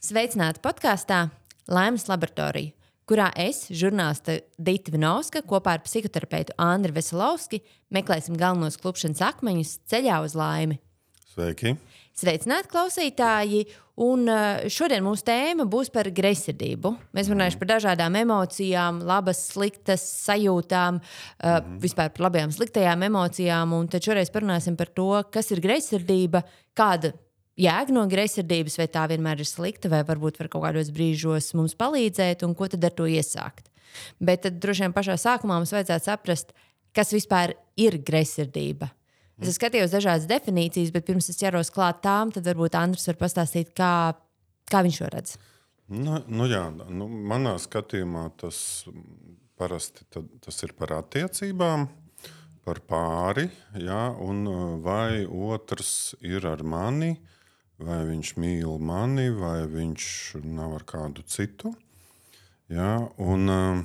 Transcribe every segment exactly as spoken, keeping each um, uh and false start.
Sveicināti podkāstā Laimes laboratorija, kurā es, žurnāliste Dita Vinovska, kopā ar psihoterapeitu Andri Veselovski meklēsim galvenos klupšanas akmeņus ceļā uz laimi. Sveiki! Sveicināti klausītāji! Un šodien mūsu tēma būs par greizsirdību. Mēs runāsim par dažādām emocijām, labas, sliktas sajūtām, mm-hmm. vispār par labajām, sliktajām emocijām. Un tad šoreiz parunāsim par to, kas ir greizsirdība, kāda jēga no greizsirdības, vai tā vienmēr ir slikta, vai varbūt var kaut kādos brīžos mums palīdzēt, un ko tad ar to iesākt. Bet tad droši vien pašā sākumā mums vajadzētu saprast, kas vispār ir greizsirdība. Es skatījos dažādas definīcijas, bet pirms es ķeros klāt tām, tad varbūt Andris var pastāstīt, kā, kā viņš to redz. Nu, nu jā, nu, manā skatījumā tas parasti tad, tas ir par attiecībām, par pāri, jā, un vai otrs ir ar mani, vai viņš mīl mani, vai viņš nav ar kādu citu. Jā, un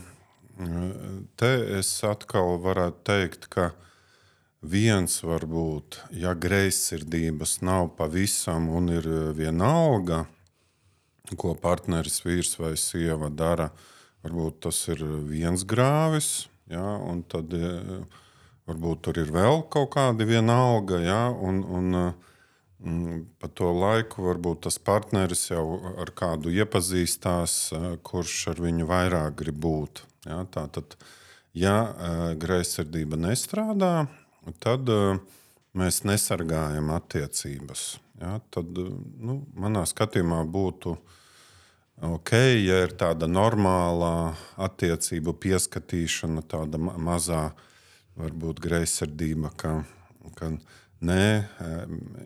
te es atkal varētu teikt, ka viens varbūt, ja greizsirdības nav pavisam un ir vienalga, ko partneris vīrs vai sieva dara, varbūt tas ir viens grāvis, jā, un tad varbūt tur ir vēl kaut kādi vienalga, jā, un, un pa to laiku varbūt tas partneris jau ar kādu iepazīstās, kurš ar viņu vairāk grib būt. Jā, tātad, ja greizsirdība nestrādā, tad mēs nesargājam attiecības. Jā, tad, nu, manā skatījumā būtu ok, ja ir tāda normālā attiecību pieskatīšana, tāda mazā varbūt greizsirdība, ka, ka nē,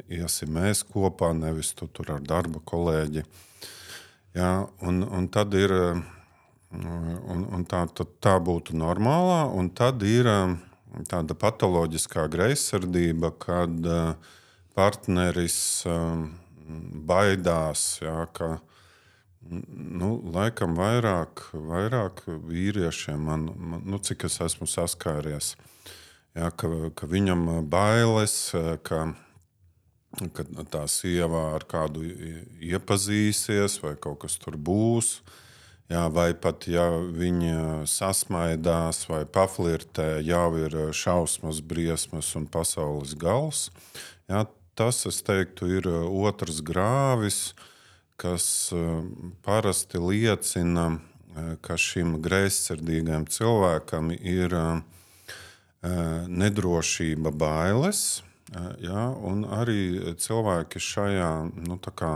iesim mēs kopā, nevis tu tur ar darba kolēģi. Jā, un, un tad ir, un, un tā, tā būtu normālā, un tad ir tāda patoloģiskā greizsirdība, kad partneris baidās, jā, ka nu, laikam vairāk, vairāk vīriešiem, man, man, nu, cik es esmu saskāries, jā, ka, ka viņam bailes, ka, ka tā sieva ar kādu iepazīsies vai kaut kas tur būs, jā, vai pat ja viņa sasmaidās vai paflirtē, jau ir šausmas, briesmas un pasaules gals. Jā, tas, es teiktu, ir otrs grāvis, kas parasti liecina, ka šim greizsirdīgam cilvēkam ir nedrošība, bailes, jā, un arī cilvēki šajā, nu, tā kā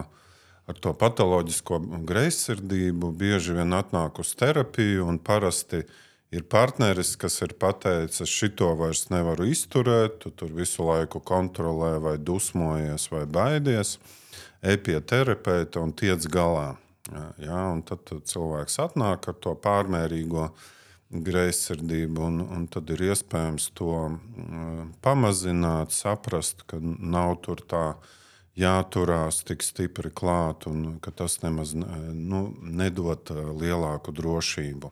ar to patoloģisko greizsirdību bieži vien atnāk uz terapiju, un parasti ir partneris, kas ir pateicis, šito vairs nevaru izturēt, tu tur visu laiku kontrolē vai dusmojies vai baidies, ej pie terapeita un tiec galā. Jā, un tad cilvēks atnāk ar to pārmērīgo greizsirdību, un, un tad ir iespējams to pamazināt, saprast, ka nav tur tā jāturās tik stipri klāt, un ka tas nemaz nu, nedod lielāku drošību.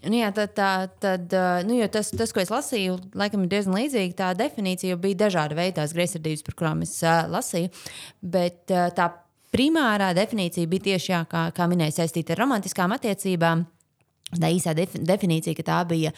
Nu jā, tad, tā, tad, nu, jo tas, tas, ko es lasīju, laikam ir diezgan līdzīgi. Tā definīcija bija dažāda veida tās greizsirdības, par kurām es uh, lasīju, bet uh, tā primārā definīcija bija tieši, jā, kā, kā minēju, saistīta ar romantiskām attiecībām. Tā īsā definīcija, ka tā bija,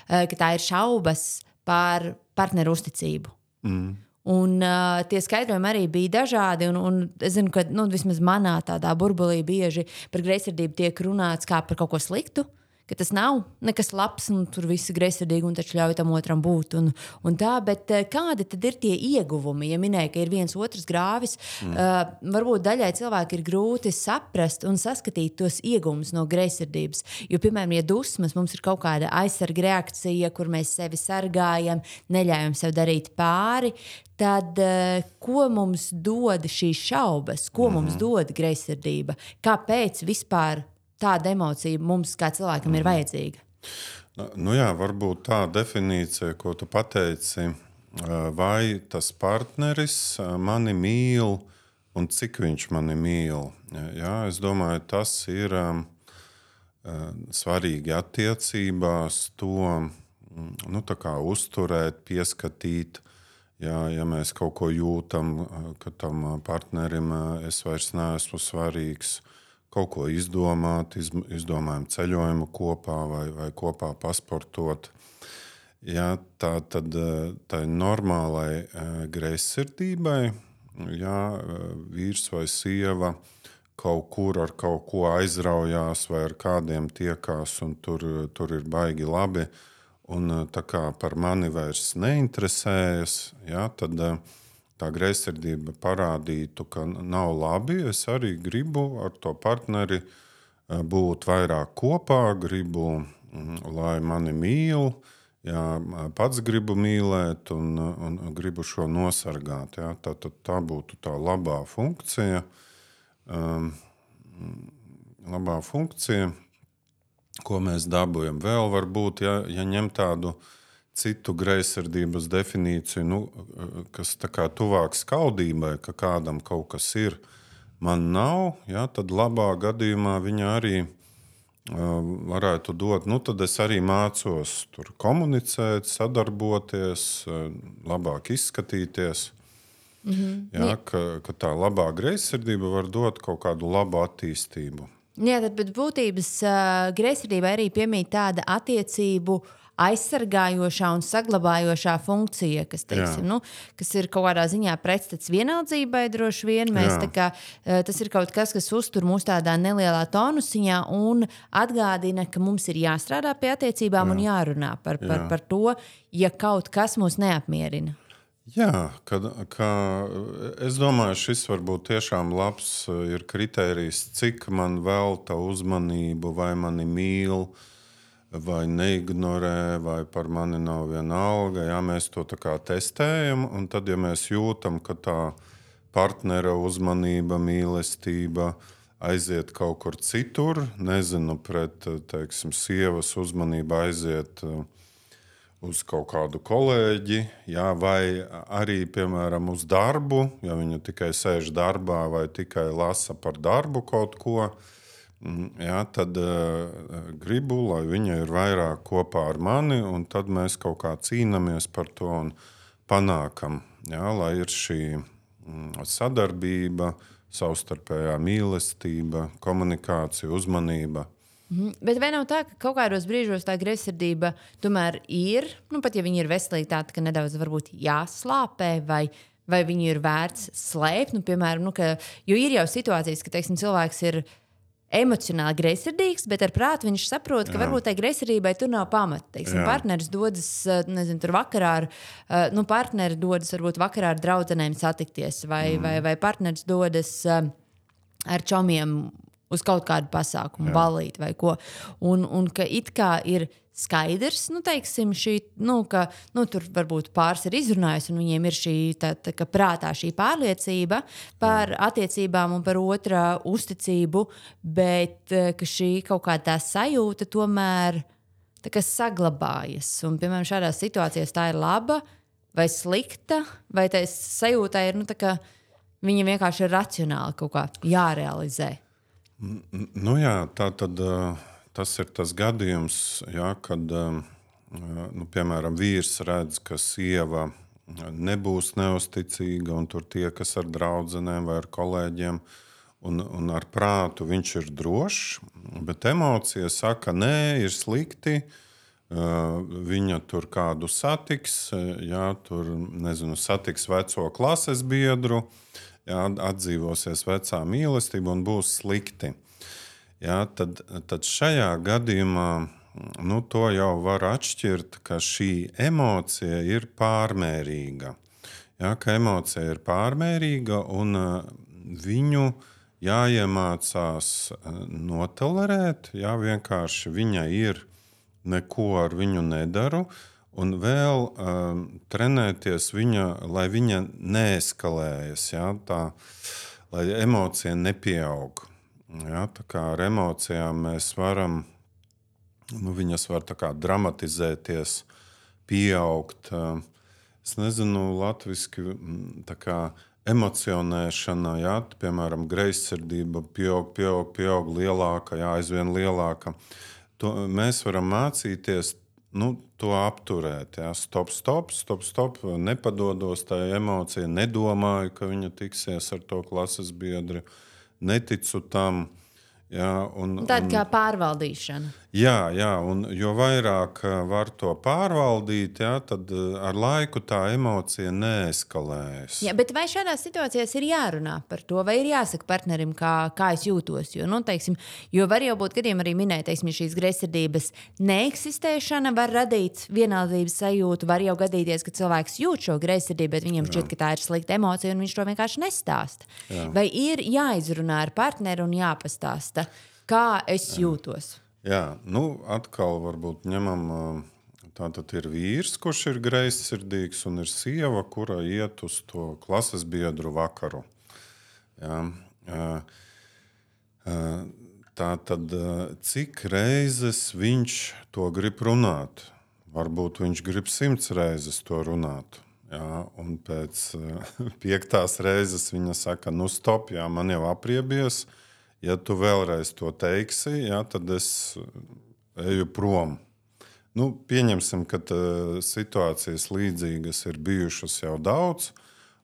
ka tā ir šaubas par partneru uzticību. Mm. Un uh, tie skaidrojumi arī bija dažādi, un, un es zinu, ka nu, vismaz manā tādā burbulī bieži par greizsirdību tiek runāts kā par kaut ko sliktu, ka tas nav nekas labs, un tur viss ir greizsirdīgi, un taču ļauj tam otram būt. Un, un tā, bet kādi tad ir tie ieguvumi? Ja minēja, ka ir viens otrs grāvis, mm. uh, varbūt daļai cilvēki ir grūti saprast un saskatīt tos ieguvumus no greizsirdības. Jo, piemēram, ja dusmas mums ir kaut kāda aizsarga reakcija, kur mēs sevi sargājam, neļaujam sev darīt pāri, tad uh, ko mums dod šīs šaubas? Ko mm. mums dod greizsirdība? Kāpēc vispār tāda emocija mums kā cilvēkam ir vajadzīga? Nu jā, varbūt tā definīcija, ko tu pateici, vai tas partneris mani mīl un cik viņš mani mīl. Jā, es domāju, tas ir svarīgi attiecībās to nu, tā kā uzturēt, pieskatīt. Jā, ja mēs kaut ko jūtam, ka tam partnerim es vairs neesmu svarīgs, kaut ko izdomāt, izdomājam ceļojumu kopā vai, vai kopā pasportot. Jā, tā tad tai normālai greizsirdībai, jā, vīrs vai sieva kaut kur ar kaut ko aizraujās vai ar kādiem tiekās, un tur, tur ir baigi labi, un tā kā par mani vairs neinteresējas, jā, tad tā greizsirdība parādītu, ka nav labi. Es arī gribu ar to partneri būt vairāk kopā, gribu, lai mani mīl, jā, pats gribu mīlēt un, un gribu šo nosargāt. Jā. Tā, tā, tā būtu tā labā funkcija. Um, labā funkcija, ko mēs dabūjam. Vēl varbūt, ja, ja ņem tādu citu greizsirdības definīciju, nu, kas tā kā tuvāk skaudībai, ka kādam kaut kas ir, man nav, jā, tad labā gadījumā viņa arī varētu dot, nu tad es arī mācos tur komunicēt, sadarboties, labāk izskatīties. Mm-hmm. Jā, ka, ka tā labā greizsirdība var dot kaut kādu labu attīstību. Jā, tad pēc būtības uh, greizsirdībai arī piemīt tāda attiecību aizsargājošā un saglabājošā funkcija, kas, teiksim, nu, kas ir kaut kādā ziņā pretstats vienaldzībai droši vien. Mēs, tā kā, tas ir kaut kas, kas uztur mūs tādā nelielā tonusiņā un atgādina, ka mums ir jāstrādā pie attiecībām Jā. un jārunā par, par, Jā. par to, ja kaut kas mūs neapmierina. Jā, kad, ka, es domāju, šis varbūt tiešām labs ir kritērijs, cik man velta uzmanību, vai mani mīl, vai neignorē, vai par mani nav viena alga. Jā, mēs to tā kā testējam, un tad, ja mēs jūtam, ka tā partnera uzmanība, mīlestība aiziet kaut kur citur, nezinu, pret, teiksim, sievas uzmanība aiziet uz kaut kādu kolēģi, jā, vai arī, piemēram, uz darbu, ja viņa tikai sēž darbā vai tikai lasa par darbu kaut ko, jā, tad uh, gribu, lai viņa ir vairāk kopā ar mani, un tad mēs kaut kā cīnāmies par to un panākam, jā, lai ir šī mm, sadarbība, savstarpējā mīlestība, komunikācija, uzmanība. Mhm. Bet vai nav tā, ka kaut kādos brīžos tā greizsirdība tomēr ir, nu pat ja viņa ir veselīga, tāda, ka nedaudz varbūt jāslāpē vai, vai viņu ir vērts slēpt, nu, piemēram, nu, ka, jo ir jau situācijas, ka, teiksim, cilvēks ir emocionāli greizsirdīgs, bet ar prātu viņš saprot, ka Jā. varbūt tai greizsirdībai tur nav pamata. Teiksim, partneris dodas, nezinu, tur vakarā ar, nu, partneri dodas varbūt vakarā ar draudzenēm satikties, vai, mm. vai, vai partneris dodas ar čomiem uz kaut kādu pasākumu, ballīt vai ko. Un, un ka it kā ir skaidrs, nu, teiksim, šī, nu, ka, nu, tur varbūt pāris ir izrunājis, un viņiem ir šī, tā, tā, ka prātā šī pārliecība par attiecībām un par otra uzticību, bet ka šī kaut kā tā sajūta tomēr tā kā saglabājas. Un, piemēram, šādās situācijās tā ir laba vai slikta, vai tā sajūta ir, nu, tā kā viņa vienkārši ir racionāli kaut kā jārealizē. Nu jā, tā tad... Uh... Tas ir tas gadījums, jā, kad, nu, piemēram, vīrs redz, ka sieva nebūs neusticīga un tur tiekas ar draudzenēm vai ar kolēģiem, un, un ar prātu viņš ir drošs, bet emocija saka, nē, ir slikti, viņa tur kādu satiks, jā, tur, nezinu, satiks veco klases biedru, jā, atdzīvosies vecā mīlestība un būs slikti. Jā, tad, tad šajā gadījumā nu, to jau var atšķirt, ka šī emocija ir pārmērīga. Jā, ka emocija ir pārmērīga un viņu jāiemācās notolerēt. Jā, vienkārši viņa ir, neko ar viņu nedaru. Un vēl um, trenēties viņa, lai viņa neeskalējas, jā, tā, lai emocija nepieaug. Jā, tā kā ar emocijām mēs varam, nu, viņas var tā kā dramatizēties, pieaugt. Es nezinu, latviski tā kā emocionēšana, jā, piemēram, greizsirdība pieaug, pieaug, pieaug lielāka, jā, aizvien lielāka. To mēs varam mācīties nu, to apturēt. Jā. Stop, stop, stop, stop, nepadodos tajā emocijā, nedomāju, ka viņa tiksies ar to klases biedru, neticu tam. Jā, un, Tāda un, kā pārvaldīšana. Jā, jā, un jo vairāk var to pārvaldīt, jā, tad ar laiku tā emocija neeskalējas. Jā, bet vai šādās situācijās ir jārunā par to, vai ir jāsaka partnerim, kā, kā es jūtos? Jo, nu, teiksim, jo var jau būt gadījumi arī minēt, teiksim, šīs greizsirdības neeksistēšana var radīt vienaldības sajūtu. Var jau gadīties, ka cilvēks jūt šo greizsirdību, bet viņam šķiet, ka tā ir slikta emocija, un viņš to vienkārši nestāsta. Jā. Vai ir jāizrunā ar partneri un jāpastāsta, kā es Jā. jūtos? Jā, nu atkal varbūt ņemam, tātad ir vīrs, kurš ir greizsirdīgs, un ir sieva, kura iet uz to klases biedru vakaru. Jā, tātad cik reizes viņš to grib runāt? Varbūt viņš grib simts reizes to runāt. Jā, un pēc piektās reizes viņa saka, nu stop, jā, man jau apriebies. Ja tu vēlreiz to teiksi, jā, tad es eju prom. Nu, pieņemsim, ka situācijas līdzīgas ir bijušas jau daudz.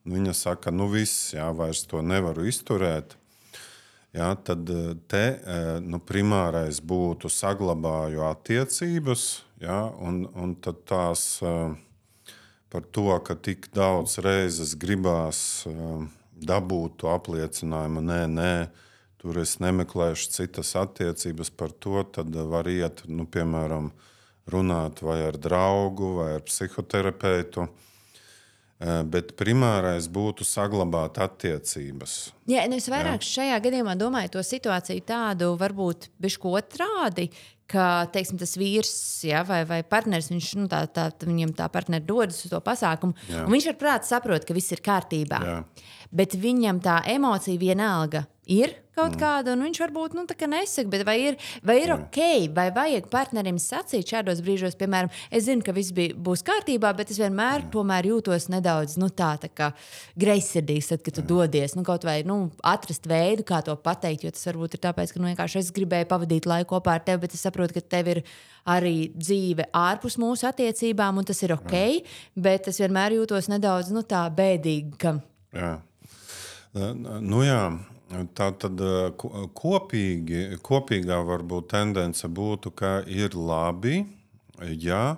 Viņa saka, nu viss, jā, vairs to nevaru izturēt. Jā, tad te nu, primārais būtu saglabāju attiecības, jā, un, un tad tās par to, ka tik daudz reizes gribās dabūt to apliecinājumu, nē, nē, tur es nemeklēšu citas attiecības par to, tad var iet, nu, piemēram, runāt vai ar draugu, vai ar psihoterapeitu. Bet primārais būtu saglabāt attiecības. Jā, es vairāk Jā. šajā gadījumā domāju to situāciju tādu, varbūt bišķi otrādi, ka, teiksim, tas vīrs, ja, vai, vai partneris, viņš, nu, tā, tā, viņam tā partneri dodas uz to pasākumu, Jā. un viņš ar prātu saprot, ka viss ir kārtībā. Jā. Bet viņam tā emocija vienalga ir kaut mm. kāda, un viņš varbūt nu, nesaka, bet vai ir, vai ir mm. ok, vai vajag partnerim sacīt šādos brīžos, piemēram, es zinu, ka viss bija, būs kārtībā, bet es vienmēr mm. tomēr jūtos nedaudz nu, tā, tā kā greizsirdīgs, tad, kad tu mm. dodies, nu, kaut vai nu, atrast veidu, kā to pateikt, jo tas varbūt ir tāpēc, ka nu, vienkārši es gribēju pavadīt laiku kopā ar tevi, bet es saprotu, ka tev ir arī dzīve ārpus mūsu attiecībām, un tas ir ok, mm. bet es vienmēr jūtos nedaudz nu, tā bēdīgi. Ka... Jā. Nu jā, tā tad kopīgi, kopīgā varbūt tendence būtu, ka ir labi, ja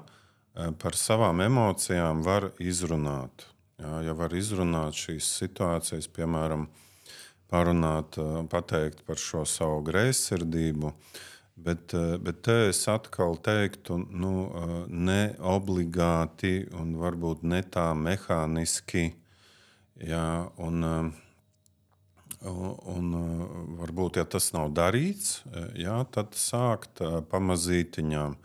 par savām emocijām var izrunāt. Jā, ja var izrunāt šīs situācijas, piemēram, parunāt, pateikt par šo savu greizsirdību, bet, bet te es atkal teiktu, nu, ne obligāti un varbūt ne tā mehāniski, jā, un Un varbūt, ja tas nav darīts, jā, tad sākt pamazītiņām.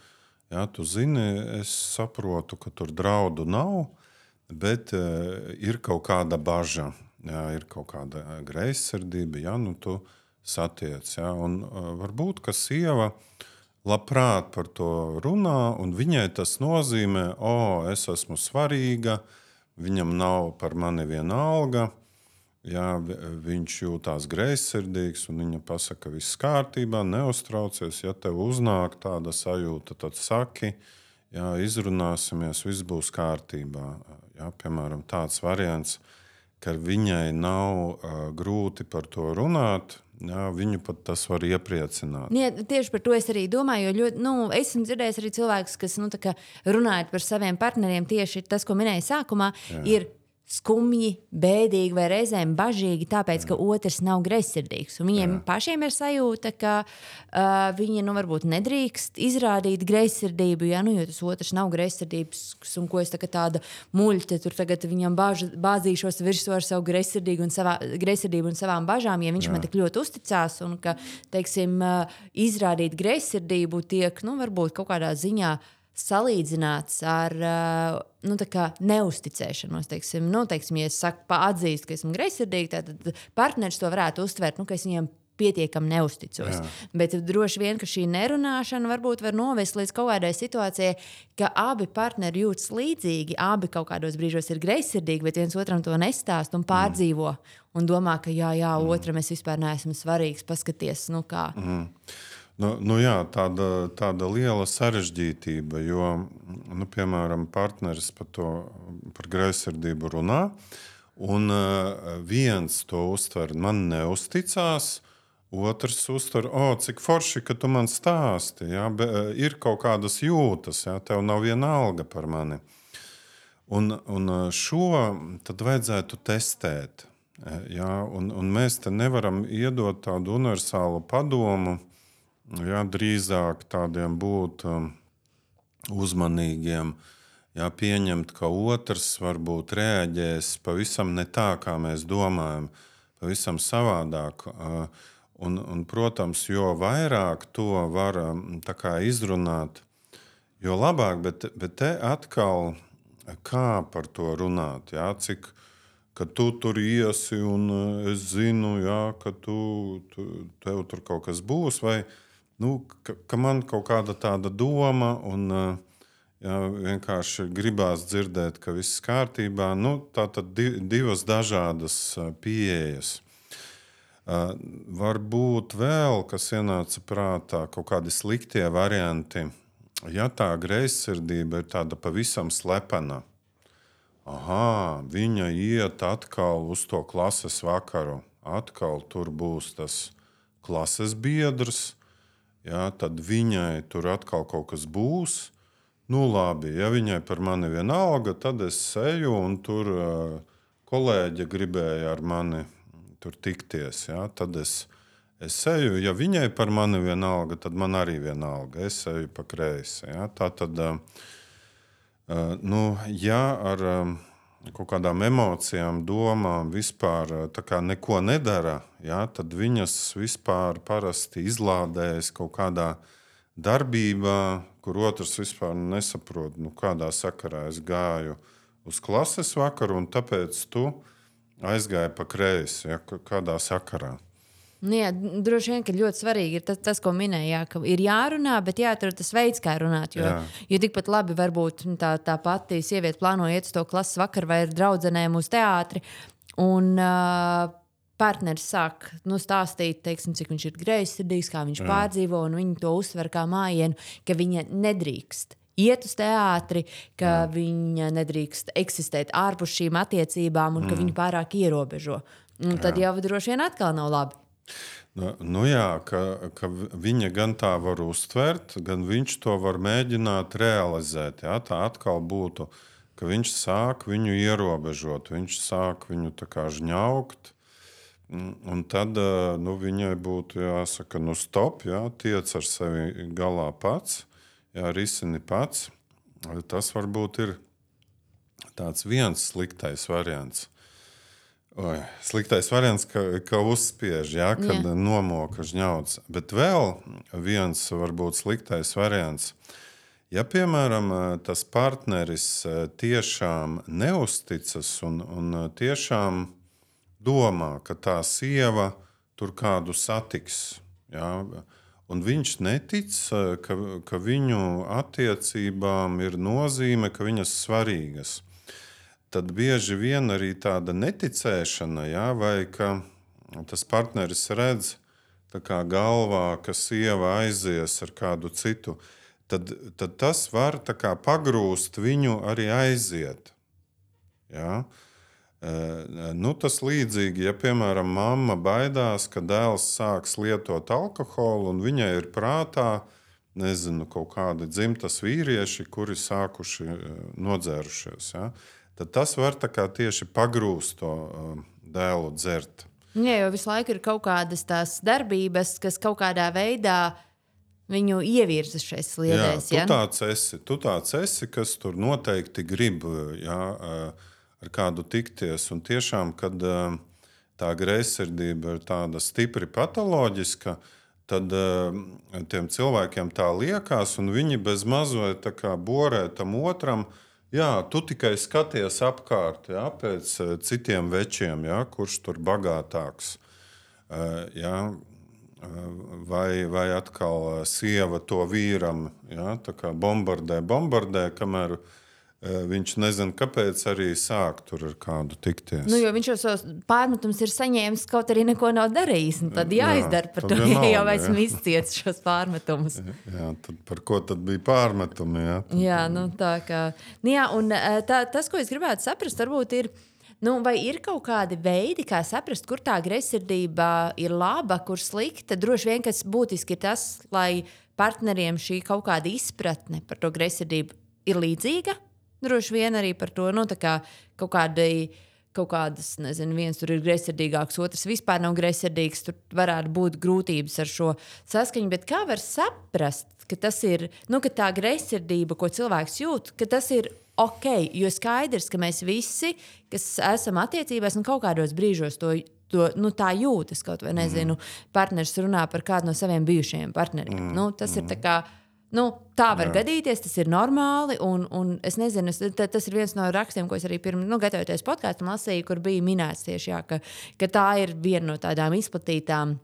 Jā, tu zini, es saprotu, ka tur draudu nav, bet ir kaut kāda baža, jā, ir kaut kāda greizsirdība, jā, nu tu satiec. Jā, un varbūt, ka sieva labprāt par to runā, un viņai tas nozīmē, o, es esmu svarīga, viņam nav par mani viena alga. Jā, viņš jūtās greizsirdīgs, un viņa pasaka, ka viss kārtībā, neuztraucies. Ja tev uznāk tāda sajūta, tad saki, jā, izrunāsimies, viss būs kārtībā. Jā, piemēram, tāds variants, ka viņai nav uh, grūti par to runāt, jā, viņu pat tas var iepriecināt. Jā, tieši par to es arī domāju, jo ļoti, nu, esmu dzirdējis arī cilvēkus, kas nu, runājot par saviem partneriem, tieši tas, ko minēju sākumā, jā. ir skumji, bēdīgi vai reizēm bažīgi, tāpēc, ka otrs nav greizsirdīgs. Un viņiem Jā. pašiem ir sajūta, ka uh, viņi nu, varbūt nedrīkst izrādīt greizsirdību, ja, nu, jo tas otrs nav greizsirdības, un ko es tā, tāda muļķa, tur tagad viņam bāž, bāzīšos virsū ar savu greizsirdību un, savā, greizsirdību un savām bažām, ja viņš Jā. man tik ļoti uzticās, un ka, teiksim, uh, izrādīt greizsirdību tiek, nu, varbūt kaut kādā ziņā salīdzināts ar uh, nu, neusticēšanos. Teiksim, nu, teiksim, ja es saku, atzīstu, ka esmu greizsirdīga, tad partneris to varētu uztvert, nu, ka es viņiem pietiekami neusticos. Jā. Bet droši vien, ka šī nerunāšana varbūt var novest līdz kaut kādai situācijai, ka abi partneri jūtas līdzīgi, abi kaut kādos brīžos ir greizsirdīgi, bet viens otram to nestāst un pārdzīvo. Mm. Un domā, ka jā, jā, mm. otram es vispār neesmu svarīgs, paskaties, nu kā. Mm. Nu, nu jā, tāda, tāda liela sarežģītība, jo, nu, piemēram, partneris par to, par greizsirdību runā, un uh, viens to uztver, man neusticās, otrs uztver, o, cik forši, ka tu man stāsti, ja? Be, ir kaut kādas jūtas, ja? Tev nav viena alga par mani. Un, un šo tad vajadzētu testēt, ja? un, un mēs te nevaram iedot tādu universālu padomu, ja, drīzāk tādiem būt um, uzmanīgiem, ja, pieņemt, ka otrs varbūt reaģēs pavisam ne tā, kā mēs domājam, pavisam savādāk. Uh, un, un, protams, jo vairāk to var um, tā kā izrunāt, jo labāk, bet, bet te atkal kā par to runāt, ja, cik ka tu tur iesi un es zinu, ja, ka tu, tu, tev tur kaut kas būs, vai Nu, ka, ka man kaut kāda tāda doma, un jā, vienkārši gribās dzirdēt, ka viss kārtībā. Nu, tā tad divas dažādas pieejas. Uh, varbūt vēl, kas ienāca prātā, kaut kādi sliktie varianti. Ja tā greizsirdība ir tāda pavisam slepena, aha, viņa iet atkal uz to klases vakaru, atkal tur būs tas klases biedrs. Ja, tad viņai tur atkal kaut kas būs. Nu, labi, ja viņai par mani vienalga, tad es eju un tur uh, kolēģe gribēja ar mani tur tikties. Ja, tad es, es eju, ja viņai par mani vienalga, tad man arī vienalga. Es eju pa kreisi. Ja. Tā tad, uh, uh, nu, ja ar um, kaut kādām emocijām, domām vispār tā kā neko nedara, ja, tad viņas vispār parasti izlādējas kaut kādā darbībā, kur otrs vispār nesaprot, nu, kādā sakarā es gāju uz klases vakaru, un tāpēc tu aizgāji pa kreisi, ja, kādā sakarā. Nu jā, droši vien, ka ļoti svarīgi ir tas, tas ko minēja, jā, ka ir jārunā, bet jāatrod tas veids, kā runāt. Jo, jo tikpat labi varbūt tā, tā pati sieviete plāno iet uz to klases vakaru vai ar draudzenēm uz teātri, un uh, partneris sāk nu, stāstīt, teiksim, cik viņš ir greizsirdīgs, kā viņš jā. Pārdzīvo, un viņi to uztver kā mājienu, ka viņa nedrīkst iet uz teātri, ka jā. Viņa nedrīkst eksistēt ārpus šīm attiecībām un ka mm. viņu pārāk ierobežo. Un tad jā. Jau droši vien atkal nav labi. Nu, nu jā, ka, ka viņa gan tā var uztvert, gan viņš to var mēģināt realizēt. Jā? Tā atkal būtu, ka viņš sāk viņu ierobežot, viņš sāk viņu tā kā žņaukt, un tad nu, viņai būtu jāsaka, nu stop, jā, tiec ar sevi galā pats, jā, risini pats. Tas varbūt ir tāds viens sliktais variants. Oi, sliktais variants, ka, ka uzspiež, ja, kad jā. Nomoka žņauts. Bet vēl viens varbūt sliktais variants. Ja, piemēram, tas partneris tiešām neusticas un, un tiešām domā, ka tā sieva tur kādu satiks, ja, un viņš netic, ka, ka viņu attiecībām ir nozīme, ka viņas svarīgas, tad bieži vien arī tāda neticēšana, ja, vai ka tas partneris redz tā kā galvā, ka sieva aizies ar kādu citu, tad, tad tas var tā kā pagrūst viņu arī aiziet. Ja. E, nu, tas līdzīgi, ja, piemēram, mamma baidās, ka dēls sāks lietot alkoholu un viņai ir prātā, nezinu, kaut kādi dzimtas vīrieši, kuri sākuši nodzērušies, ja. Tad tas var tā kā tieši pagrūst to uh, dēlu dzert. Jā, jo visu laiku ir kaut kādas tās darbības, kas kaut kādā veidā viņu ievirza šais sliedēs. Jā, tu tāds esi, tu tāds esi, kas tur noteikti grib, jā, ar kādu tikties. Un tiešām, kad uh, tā greizsirdība ir tāda stipri patoloģiska, tad uh, tiem cilvēkiem tā liekas, un viņi bez mazliet tā kā borē tam otram. Jā, tu tikai skaties apkārt, jā, pēc citiem večiem, jā, kurš tur bagātāks. Jā, vai, vai atkal sieva to vīram, jā, tā kā bombardē, bombardē, kamēr viņš nezina, kāpēc arī sāk tur ar kādu tikties. Nu, jo viņš jau savus pārmetumus ir saņēmis, kaut arī neko nav darījis. Tad jāizdara Jā, par tad to, vienalga, ja jau esmu jā. izciets šos pārmetumus. Jā, tad par ko tad bija pārmetumi? Jā, tad... Jā, nu tā kā. Nu, jā, un tā, tas, ko es gribētu saprast, varbūt ir, nu, vai ir kaut kādi veidi, kā saprast, kur tā greizsirdība ir laba, kur slikta. Droši vien, kas būtiski ir tas, lai partneriem šī kaut kāda izpratne par to greizsirdību ir līdzīga. Droši vien arī par to, nu, tā kā kaut kādai, kaut kādas, nezinu, viens tur ir greizsirdīgāks, otrs vispār nav greizsirdīgs, tur varētu būt grūtības ar šo saskaņu, bet kā var saprast, ka tas ir, nu, ka tā greizsirdība, ko cilvēks jūt, ka tas ir ok, jo skaidrs, ka mēs visi, kas esam attiecībās, un kaut kādos brīžos to, to nu, tā jūtas, kaut vai, nezinu, partneris runā par kādu no saviem bijušajiem partneriem. Mm. Nu, tas ir tā kā, nu, tā var Jā. gadīties, tas ir normāli, un, un es nezinu, es, t, tas ir viens no rakstiem, ko es arī pirms, nu, gatavoties podkāstam lasīju, kur bija minēts tieši, jā, ka, ka tā ir viena no tādām izplatītām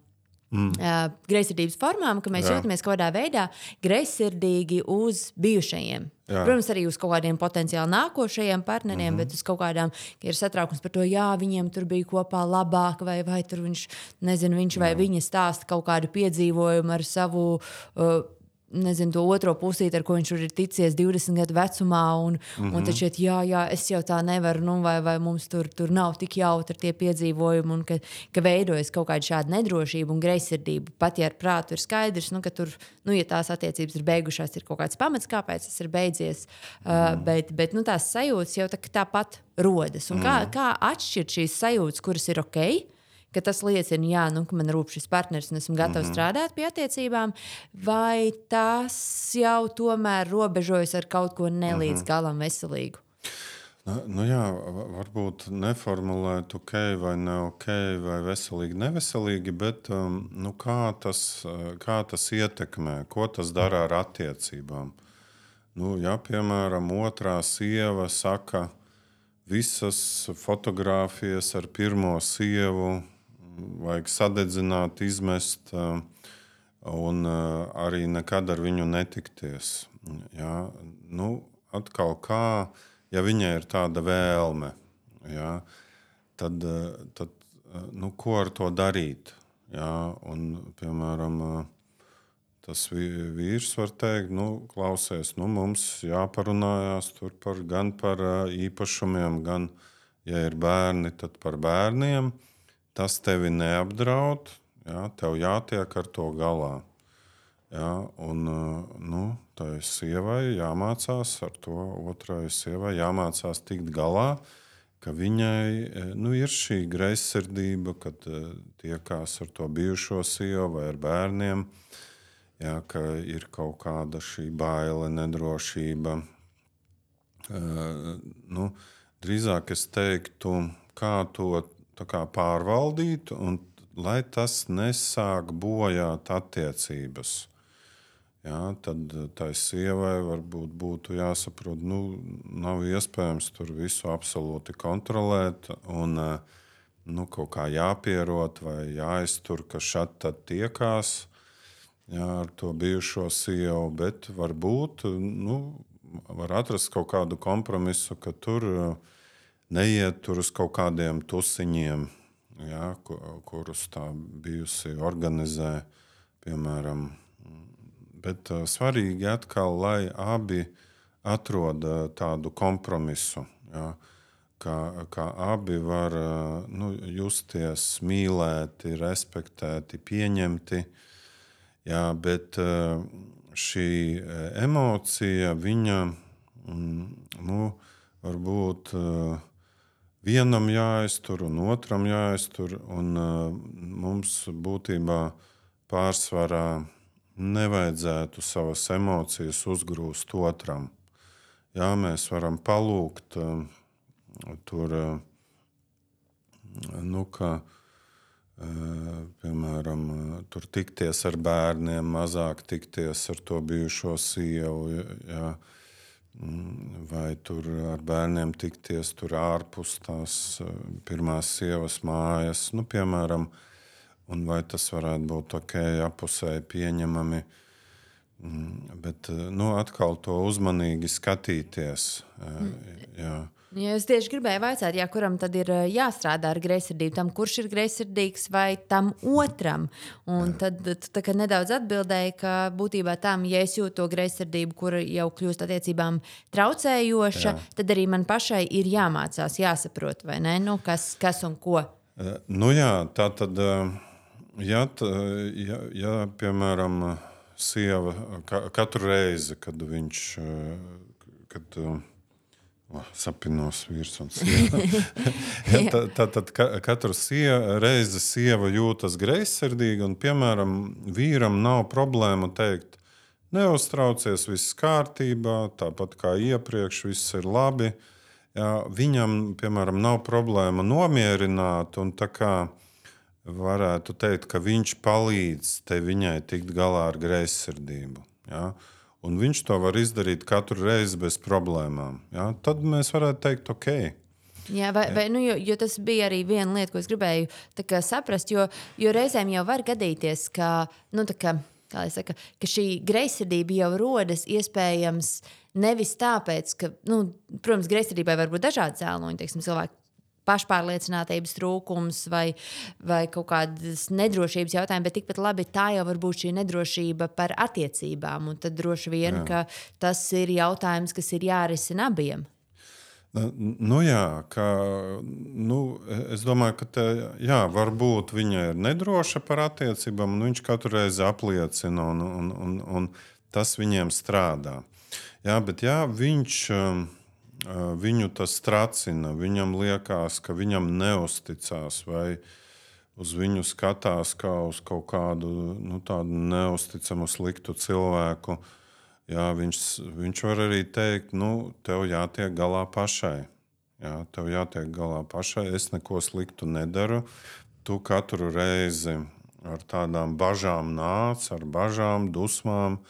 Mm. Uh, greizsirdības formām, ka mēs Jā. jūtamies kaut kādā veidā greizsirdīgi uz bijušajiem. Jā. Protams, arī uz kaut kādiem potenciāli nākošajiem partneriem, mm-hmm. bet uz kaut kādām, ka ir satraukums par to, jā, viņiem tur bija kopā labāk, vai, vai tur viņš, nezinu, viņš vai Jā. viņa stāsta kaut kādu piedzīvojumu ar savu uh, nezinu, to otro pusīti, ar ko viņš ir ticies divdesmit gadu vecumā, un, mm-hmm. un tad šeit, jā, jā, es jau tā nevaru, nu, vai, vai mums tur, tur nav tik jautri tie piedzīvojumi, un ka, ka veidojas kaut kāda šāda nedrošība un greizsirdība. Pat ja ar prātu ir skaidrs, nu, ka tur, nu, ja tās attiecības ir beigušās, ir kaut kāds pamats, kāpēc tas ir beidzies, mm. uh, bet, bet nu, tās sajūtas jau tā, tāpat rodas. Un mm. kā, kā atšķirt šīs sajūtas, kuras ir ok, ka tas liecina, jā, nu, ka man rūp šis partneris un esmu gatavs mm-hmm. strādāt pie attiecībām, vai tas jau tomēr robežojas ar kaut ko nelīdz mm-hmm. galam veselīgu? Nu, nu jā, varbūt neformulēt ok vai ne ok, vai veselīgi, neveselīgi, bet um, nu, kā, tas, kā tas ietekmē, ko tas dara ar attiecībām. Nu, ja, piemēram, otrā sieva saka, visas fotogrāfijas ar pirmo sievu vajag sadedzināt, izmest un arī nekad ar viņu netikties. Jā, nu, atkal kā, ja viņai ir tāda vēlme, jā, tad, tad nu, ko ar to darīt? Jā, un, piemēram, tas vīrs var teikt, nu, klausies, nu, mums jāparunājās tur par, gan par īpašumiem, gan, ja ir bērni, tad par bērniem. Tas tevi neapdraud, jā, tev jātiek ar to galā. Jā, un, nu, tai sievai jāmācās ar to, otrai sievai jāmācās tikt galā, ka viņai, nu, ir šī greizsirdība, kad tiekās ar to bijušo sievu vai ar bērniem, jā, ka ir kaut kāda šī baile, nedrošība. Uh, nu, drīzāk es teiktu, kā to tā kā pārvaldīt, un lai tas nesāk bojāt attiecības. Jā, tad tai sievai varbūt būtu jāsaprot, nu, nav iespējams tur visu absolūti kontrolēt, un nu, kaut kā jāpierot vai jāiztur, ka šad tad tiekās, jā, ar to bijušo sievu, bet varbūt, nu, var atrast kaut kādu kompromisu, ka tur neiet tur uz kaut kādiem tusiņiem, jā, kurus tā bijusi organizē, piemēram. Bet uh, svarīgi atkal, lai abi atrod uh, tādu kompromisu, jā, ka, ka abi var uh, nu, justies mīlēti, respektēti, pieņemti, jā, bet uh, šī emocija, viņa, mm, nu, varbūt uh, vienam jāiztur un otram jāiztur, un uh, mums būtībā pārsvarā nevajadzētu savas emocijas uzgrūst otram. Jā, mēs varam palūgt uh, tur, uh, nu, ka, uh, piemēram, uh, tur tikties ar bērniem, mazāk tikties ar to bijušo sievu, jā, vai tur ar bērniem tikties tur ārpus tās pirmās sievas mājas, nu, piemēram, un vai tas varētu būt ok, apusēji pieņemami. Bet nu, atkal to uzmanīgi skatīties. Jā. Ja es tieši gribēju vaicāt, jā, kuram tad ir jāstrādā ar greizsirdību, tam, kurš ir greizsirdīgs vai tam otram. Un tad tu tā kā nedaudz atbildēji, ka būtībā tam, ja es jūtu to greizsirdību, kur jau kļūst attiecībām traucējoša, jā. Tad arī man pašai ir jāmācās, jāsaprot, vai ne? Nu, kas, kas un ko. Nu jā, tā tad, ja, ja, ja piemēram, sieva katru reizi, kad viņš, kad Oh, sapinos vīrs un sieva. ja, tā, tā, tad katru sieva, reizi sieva jūtas greizsirdīgi un, piemēram, vīram nav problēma teikt, neuztraucies, viss kārtībā, tāpat kā iepriekš, viss ir labi. Ja, viņam, piemēram, nav problēma nomierināt un tā kā varētu teikt, ka viņš palīdz te viņai tikt galā ar greizsirdību. Ja. Un viņš to var izdarīt katru reizi bez problēmām. Ja? Tad mēs varētu teikt, ok. Jā, vai, vai, nu, jo, jo tas bija arī viena lieta, ko es gribēju kā, saprast, jo, jo reizēm jau var gadīties, ka, nu, kā, kā saka, ka šī greizsirdība jau rodas iespējams nevis tāpēc, ka, nu, protams, greizsirdībai var būt dažādi cēloņi, teiksim, cilvēki pašpārliecinātības trūkums vai, vai kaut kādas nedrošības jautājumi, bet tikpat labi tā jau var būt šī nedrošība par attiecībām. Un tad droši vien, jā. Ka tas ir jautājums, kas ir jārisina abiem. Nu jā, ka, nu, es domāju, ka te, jā, varbūt viņa ir nedroša par attiecībām, un viņš katru reizi apliecina, un, un, un, un tas viņiem strādā. Jā, bet jā, viņš... Viņu tas tracina, viņam liekas, ka viņam neusticās vai uz viņu skatās kā uz kaut kādu nu, tādu neusticamu, sliktu cilvēku. Jā, viņš, viņš var arī teikt, nu, tev jātiek galā pašai. Jā, tev jātiek galā pašai, es neko sliktu nedaru. Tu katru reizi ar tādām bažām nāc, ar bažām, dusmām,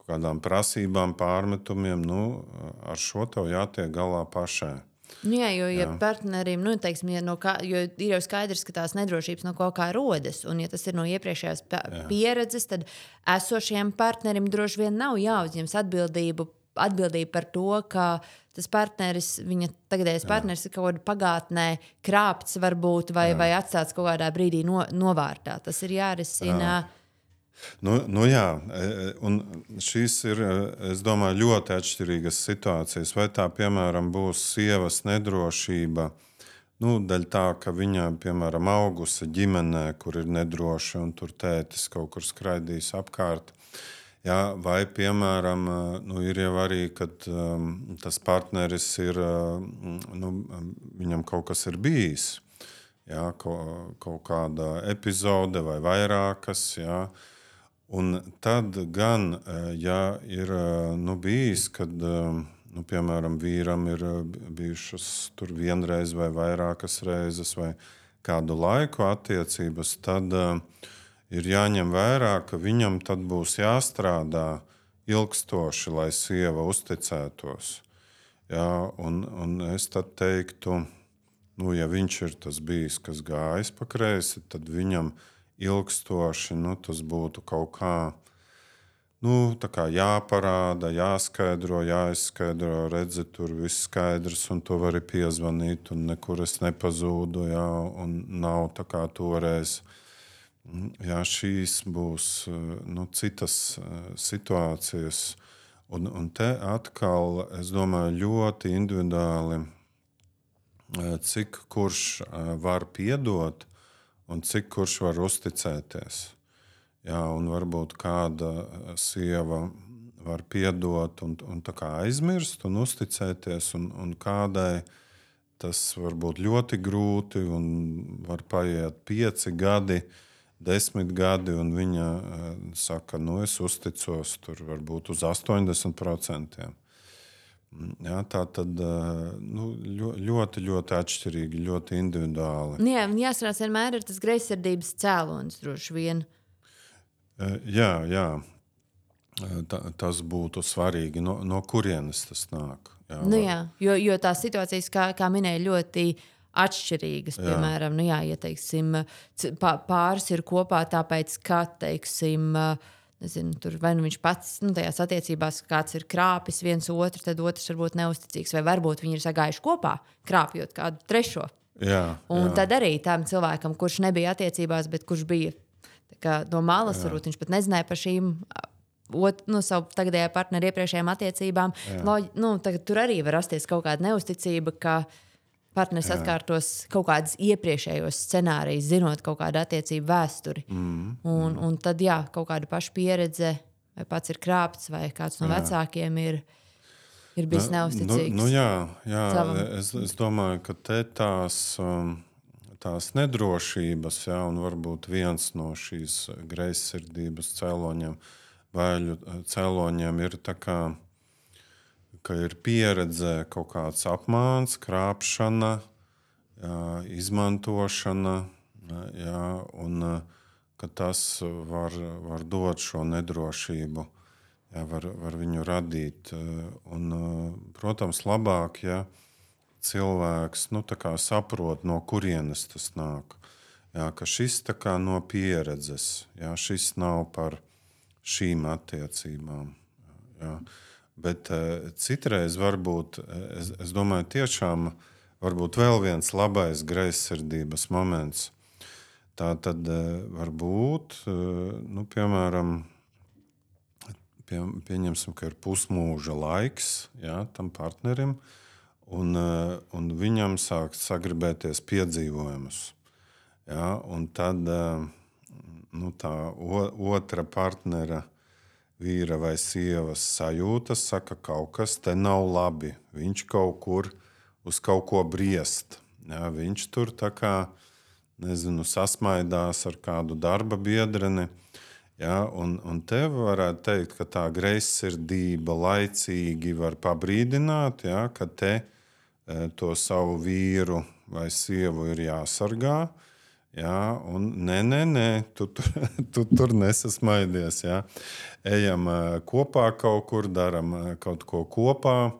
kādām prasībām, pārmetumiem, nu, ar šo tev jātiek galā pašai. Nu jā, jo ja partnerim, nu, teiksim, ja no kā, jo ir jau skaidrs, ka tās nedrošības no kaut kā rodas, un ja tas ir no iepriekšējās pieredzes, tad esošajam partnerim droši vien nav jāuzņems atbildību, atbildību par to, ka tas partneris, viņa tagadējais partneris ir kaut kādā pagātnē krāpts varbūt, vai, vai atstāts kaut kādā brīdī no, novārtā. Tas ir jārisina. Jā. Nu, nu jā, un šīs ir, es domāju, ļoti atšķirīgas situācijas. Vai tā, piemēram, būs sievas nedrošība, nu, daļ tā, ka viņa, piemēram, augusi ģimenē, kur ir nedroša, un tur tētis kaut kur skraidīs apkārt. Jā, vai, piemēram, nu, ir jau arī, kad um, tas partneris ir, nu, viņam kaut kas ir bijis. Jā, kaut, kaut kāda epizode vai vairākas, jā. Un tad gan, ja ir nu, bijis, kad, nu, piemēram, vīram ir bijušas tur vienreiz vai vairākas reizes vai kādu laiku attiecības, tad uh, ir jāņem vērā, ka viņam tad būs jāstrādā ilgstoši, lai sieva uzticētos. Jā, un, un es tad teiktu, nu, ja viņš ir tas bijis, kas gājis pa kreisi, tad viņam ilgstoši, nu, tas būtu kaut kā, nu, tā kā jāparāda, jāskaidro, jāizskaidro, redzi, tur viss skaidrs, un to vari piezvanīt, un nekur es nepazūdu, jā, un nav tā kā toreiz. Jā, šīs būs, nu, citas situācijas, un, un te atkal, es domāju, ļoti individuāli, cik kurš var piedot, un cik kurš var uzticēties. Jā, un varbūt kāda sieva var piedot un, un tā kā aizmirst un uzticēties, un, un kādai tas var būt ļoti grūti un var paiet pieci gadi, desmit gadi, un viņa saka, nu es uzticos tur varbūt uz astoņdesmit procentiem. Jā, tā tad nu, ļoti, ļoti atšķirīgi, ļoti individuāli. Jā, jāsarās vienmēr ir tas greizsirdības cēlonis droši vien. Jā, jā. Ta, tas būtu svarīgi, no, no kurienes tas nāk. Jā, nu, jā, jo, jo tās situācijas, kā, kā minēja, ļoti atšķirīgas. Jā. Piemēram, nu, jā, ja teiksim, pāris ir kopā tāpēc, ka, teiksim, nezinu, tur vai nu viņš pats, nu, tajās attiecībās kāds ir krāpis viens otru, tad otrs varbūt neusticīgs, vai varbūt viņi ir sagājuši kopā, krāpjot kādu trešo. Jā, un jā. tad arī tam cilvēkam, kurš nebija attiecībās, bet kurš bija tā kā, no malas, jā. varbūt viņš pat nezināja par šīm ot, nu, savu tagadējā partneru iepriekšējām attiecībām, Loģi, nu, tagad tur arī var rasties kaut kāda neusticība, ka partneris jā. atkārtos kaut kādas iepriekšējos scenārijus, zinot kaut kādu attiecību vēsturi. Mm, un, mm. un tad, jā, kaut kāda paša pieredze, vai pats ir krāpts, vai kāds no jā. vecākiem ir, ir bijis neusticīgs. Nu, nu, jā, jā. Es, es domāju, ka te tās, tās nedrošības, jā, un varbūt viens no šīs greizsirdības cēloņiem, vēļu cēloņiem ir tā kā ka ir pieredze kaut kāds apmāns, krāpšana, jā, izmantošana, jā, un ka tas var, var dot šo nedrošību, jā, var, var viņu radīt. Un, protams, labāk, ja cilvēks nu, tā kā saprot, no kurienes tas nāk. Jā, ka šis tā kā no pieredzes, jā, šis nav par šīm attiecībām. Jā. Bet uh, citreiz varbūt, es, es domāju, tiešām varbūt vēl viens labais greizsirdības moments. Tā tad uh, var būt, uh, nu, piemēram, pie, pieņemsim, ka ir pusmūža laiks, jā, tam partnerim, un, uh, un viņam sāk sagribēties piedzīvojumus. Jā, un tad uh, nu, tā o, otra partnera vīra vai sievas sajūtas, saka, kaut kas te nav labi. Viņš kaut kur uz kaut ko briest. Ja, viņš tur tā kā, nezinu, sasmaidās ar kādu darba biedreni. Ja, un, un te varētu teikt, ka tā greizsirdība laicīgi var pabrīdināt, ja, ka te to savu vīru vai sievu ir jāsargā. Jā, un nē, nē, nē, tu, tu, tu tur nesasmaidies. Jā. Ejam kopā kaut kur, daram kaut ko kopā,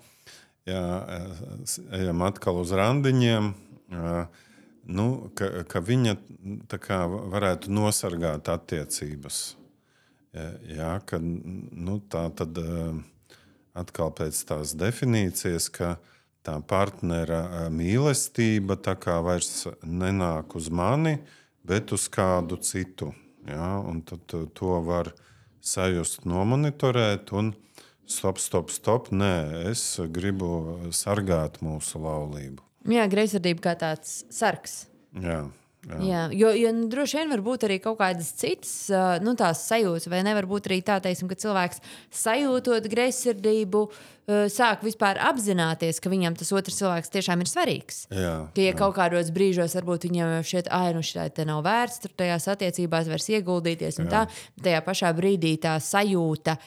jā, ejam atkal uz randiņiem. Jā, nu, ka, ka viņa tā kā varētu nosargāt attiecības. Jā, ka, nu, tā tad atkal pēc tās definīcijas, ka tā partnera mīlestība tā kā vairs nenāk uz mani, bet uz kādu citu. Ja? Un tad to var sajust, nomonitorēt un stop, stop, stop. Nē, es gribu sargāt mūsu laulību. Jā, greizsirdība kā tāds sargs. Jā. Jā. Jā, jo, jo nu, droši vien var būt arī kaut kādas citas nu, tās sajūtas, vai nevar būt arī tā, teiksim, ka cilvēks sajūtot greizsirdību, sāk vispār apzināties, ka viņam tas otrs cilvēks tiešām ir svarīgs. Jā, ka, ja jā. kaut kādos brīžos varbūt viņam šķiet, ai, nu šitā te nav vērts tur tajās attiecībās vairs ieguldīties un jā. tā, tajā pašā brīdī tā sajūta,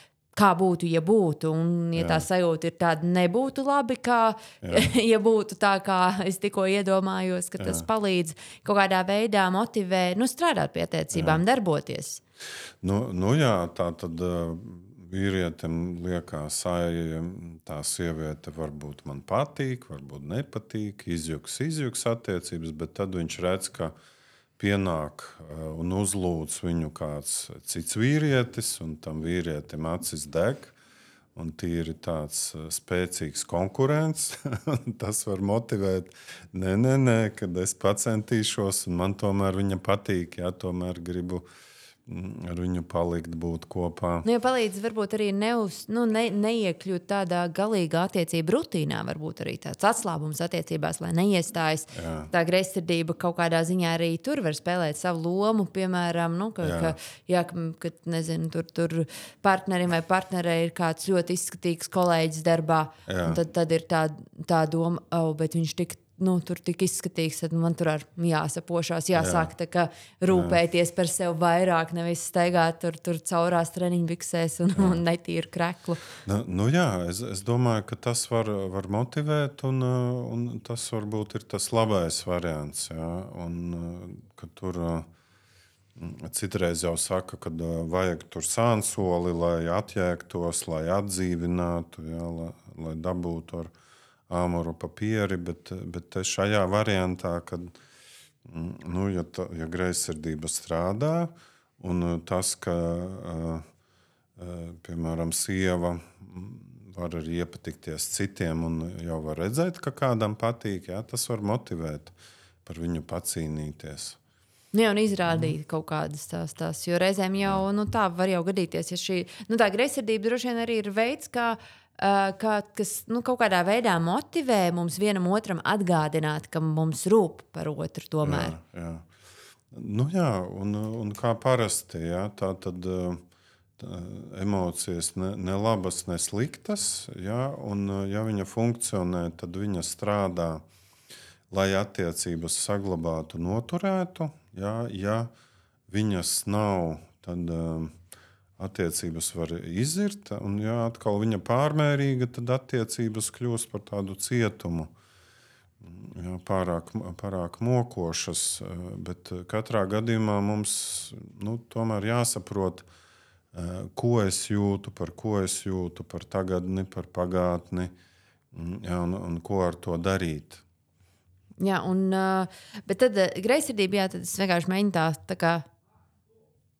kā būtu, ja būtu. Un, ja jā. tā sajūta ir tāda, nebūtu labi, kā ja būtu tā, kā es tikko iedomājos, ka tas jā. palīdz kaut kādā veidā motivē, nu, strādāt pie attiecībām, jā. darboties. Nu, nu jā, tā tad uh, vīrietim liekas, ai, tā sieviete varbūt man patīk, varbūt nepatīk, izjuks, izjuks attiecības, bet tad viņš redz, ka pienāk un uzlūdz viņu kāds cits vīrietis, un tam vīrietim acis deg, un tīri tāds spēcīgs konkurents. Tas var motivēt, nē, nē, nē, kad es pacentīšos, un man tomēr viņa patīk, jā, tomēr gribu ar viņu palikt, būt kopā. Nu, ja palīdz varbūt arī neuz, nu, ne, neiekļūt tādā galīgā attiecību rutīnā, varbūt arī tāds atslābums attiecībās, lai neiestājas. Jā. Tā greizsirdība kaut kādā ziņā arī tur var spēlēt savu lomu, piemēram, nu, ka, jā. Ka, jā, ka nezinu, tur, tur partnerim vai partnerei ir kāds ļoti izskatīgs kolēģis darbā, jā. Un tad, tad ir tā, tā doma, oh, bet viņš tik Nu, tur tik izskatīgs, tad man tur ar jāsapošās, jāsāk tā kā rūpēties par sevi vairāk, nevis staigāt tur, tur caurās treniņbiksēs un, un netīru kreklu. Nu, nu jā, es, es domāju, ka tas var, var motivēt, un, un tas varbūt ir tas labais variants. Jā, un, ka tur citreiz jau saka, ka vajag tur sānsoli, lai atjēgtos, lai atdzīvinātu, jā, lai, lai dabūtu ar āmuru papieri, bet, bet šajā variantā, kad nu, ja, ta, ja greizsirdība strādā un tas, ka uh, piemēram, sieva var arī iepatikties citiem un jau var redzēt, ka kādam patīk. Jā, tas var motivēt par viņu pacīnīties. Jā, un izrādīt mm. kaut kādas tās, tās, jo reizēm jau nu, tā var jau gadīties, ja šī nu, tā greizsirdība droši vien arī ir veids, kā, uh, kā, kas nu, kaut kādā veidā motivē mums vienam otram atgādināt, ka mums rūp par otru tomēr. Jā, jā. Nu jā, un, un kā parasti, jā, tā tad tā, emocijas ne, ne labas, ne sliktas, jā, un ja viņa funkcionē, tad viņa strādā, lai attiecības saglabātu, noturētu. Ja, ja viņas nav, tad uh, attiecības var izzirt, un ja atkal viņa pārmērīga, tad attiecības kļūst par tādu cietumu. Ja, pārāk, pārāk mokošas, bet katrā gadījumā mums nu, tomēr jāsaprot, uh, ko es jūtu, par ko es jūtu, par tagadni, par pagātni, ja, un, un ko ar to darīt. Jā, un, bet tad greizsirdība, jā, tad es vienkārši mēģinu tā, tā kā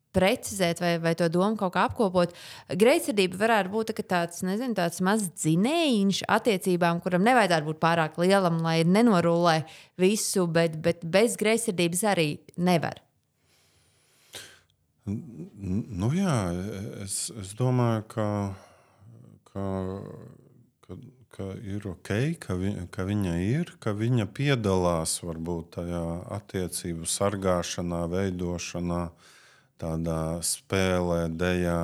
precizēt vai, vai to domu kaut kā apkopot. Greizsirdība varētu būt tā, tāds, nezinu, tāds mazs dzinējiņš attiecībām, kuram nevajadzētu būt pārāk lielam, lai nenorulē visu, bet, bet bez greizsirdības arī nevar. Nu jā, es, es domāju, ka, ka, ka ka ir ok, ka, vi, ka viņa ir, ka viņa piedalās varbūt tajā attiecību sargāšanā, veidošanā, tādā spēlē, dejā,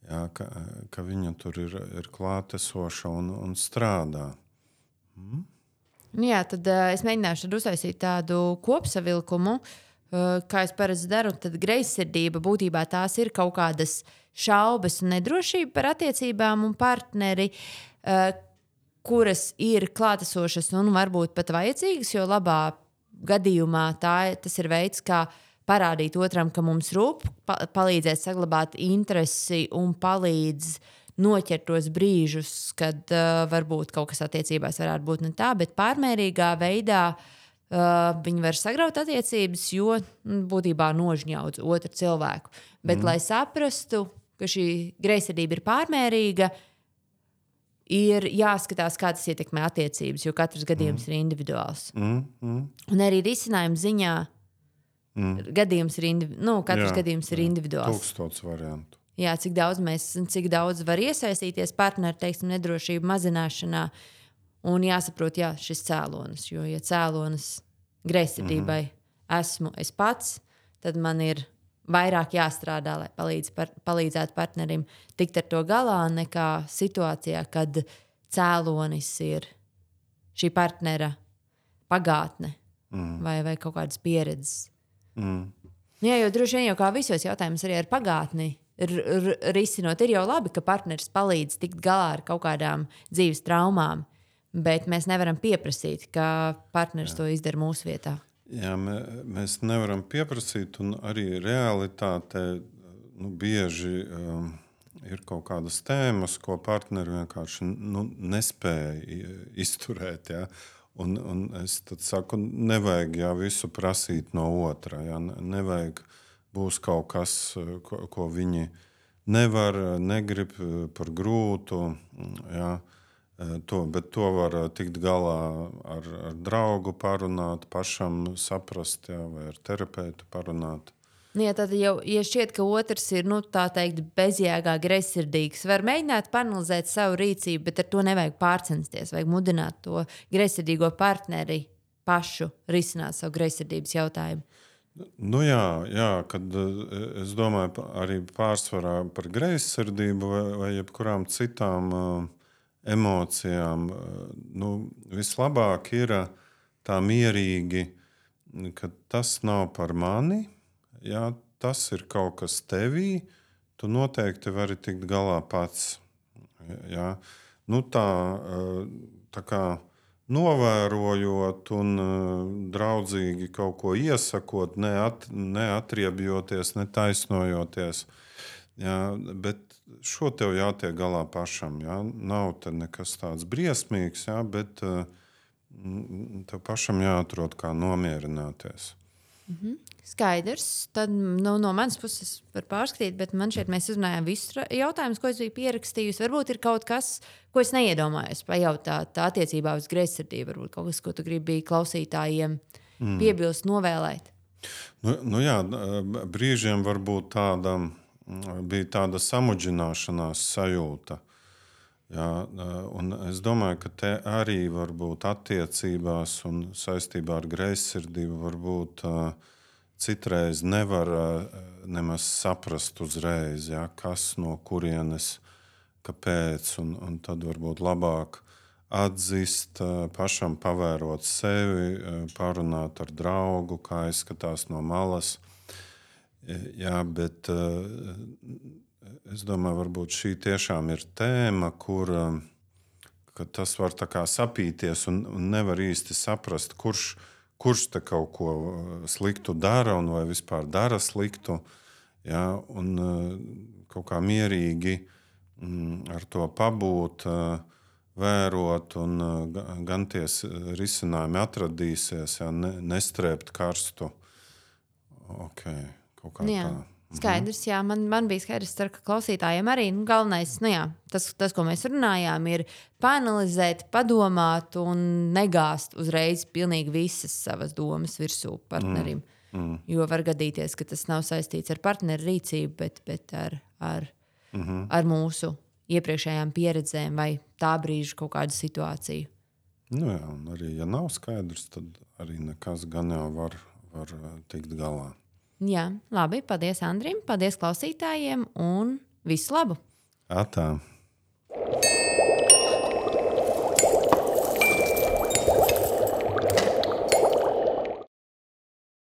jā, ka, ka viņa tur ir, ir klātesoša un, un strādā. Mm? Jā, tad uh, es mēģināšu tad uztaisīt tādu kopsavilkumu, uh, kā es parasti daru. Tad greizsirdība būtībā tās ir kaut kādas šaubas un nedrošība par attiecībām un partneri, uh, kuras ir klātesošas un varbūt pat vajadzīgas, jo labā gadījumā tā, tas ir veids, kā parādīt otram, ka mums rūp, pa, palīdzēt saglabāt interesi un palīdz noķert tos brīžus, kad uh, varbūt kaut kas attiecībās varētu būt ne tā, bet pārmērīgā veidā uh, viņi var sagraut attiecības, jo būtībā nožņaudz otru cilvēku. Bet, mm. lai saprastu, ka šī greizsirdība ir pārmērīga, ir jāskatās, kā tas ietekmē attiecības, jo katrs gadījums mm. ir individuāls. Mm, mm. Un arī risinājuma ziņā mm. gadījums ir, indivi... nu, katrs jā, gadījums ir jā. individuāls. Tūkstots variantu. Jā, cik daudz mēs, cik daudz var iesaistīties partneru, teiksim, nedrošību mazināšanā un jāsaprot, jā, šis cēlonis, jo, ja cēlonis greizsirdībai mm. esmu es pats, tad man ir vairāk jāstrādā, lai palīdz par, palīdzētu partnerim tikt ar to galā, nekā situācijā, kad cēlonis ir šī partnera pagātne mm. vai, vai kaut kādas pieredzes. Mm. Jā, jo droši vien jau kā visos jautājumos arī ar pagātni r- r- risinot, ir jau labi, ka partneris palīdz tikt galā ar kaut kādām dzīves traumām, bet mēs nevaram pieprasīt, ka partneris Jā. to izdara mūsu vietā. Jā, mē, mēs nevaram pieprasīt, un arī realitātē nu, bieži um, ir kaut kādas tēmas, ko partneri vienkārši nu, nespēja izturēt. Ja? Un, un es tad saku, nevajag jā, visu prasīt no otra. Ja? Nevajag būs kaut kas, ko, ko viņi nevar, negrib par grūtu. Ja? To, bet to var tikt galā ar, ar draugu parunāt, pašam saprast, jā, vai ar terapeitu parunāt. Jā, tad jau, ja šķiet, ka otrs ir, nu, tā teikt, bezjēgā greizsirdīgs, var mēģināt panalizēt savu rīcību, bet ar to nevajag pārcensties, vajag mudināt to greizsirdīgo partneri pašu risināt savu greizsirdības jautājumu. Nu jā, jā, kad es domāju arī pārsvarā par greizsirdību vai, vai jebkurām citām uh, emocijām, nu, vislabāk ir tā mierīgi, ka tas nav par mani, jā, tas ir kaut kas tevī, tu noteikti vari tikt galā pats. Jā. Nu, tā, tā kā novērojot un draudzīgi kaut ko iesakot, neat, neatriebjoties, netaisnojoties, jā, bet šo tev jātiek galā pašam. Jā. Nav te nekas tāds briesmīgs, jā, bet uh, tev pašam jāatrod, kā nomierināties. Mm-hmm. Skaidrs. Tad nu, no manas puses var pārskatīt, bet man šeit mēs uzrunājām visus jautājumus, ko es biju pierakstījusi. Varbūt ir kaut kas, ko es neiedomājos pajautāt attiecībā uz greizsirdību. Varbūt kaut kas, ko tu gribi klausītājiem mm. piebilst, novēlēt. Nu, nu jā, brīžiem varbūt tāda, bija tāda samudžināšanās sajūta. Jā, un es domāju, ka te arī varbūt attiecībās un saistībā ar greizsirdību varbūt uh, citreiz nevar uh, nemaz saprast uzreiz, jā, kas no kurienes, kāpēc, un, un tad varbūt labāk atzist, uh, pašam pavērot sevi, uh, parunāt ar draugu, kā izskatās no malas. Jā, bet uh, es domāju, varbūt šī tiešām ir tēma, kur tas var tā kā sapīties un, un nevar īsti saprast, kurš, kurš te kaut ko sliktu dara un vai vispār dara sliktu. Ja, un kaut kā mierīgi ar to pabūt, vērot un gan tie risinājumi atradīsies, ja, ne, nestrēpt karstu. Ok, kaut kā jā. tā. Skaidrs, jā, man, man bija skaidrs, ceru, ka klausītājiem arī nu, galvenais, nu jā, tas, tas, ko mēs runājām, ir paanalizēt, padomāt un negāzt uzreiz pilnīgi visas savas domas virsū partnerim. Mm. Mm. Jo var gadīties, ka tas nav saistīts ar partneru rīcību, bet, bet ar, ar, mm-hmm. ar mūsu iepriekšējām pieredzēm vai tā brīža kaut kādu situāciju. Nu jā, un arī, ja nav skaidrs, tad arī nekas gan jau var, var tikt galā. Jā, labi. Paldies Andrim, paldies klausītājiem un visu labu! Atā!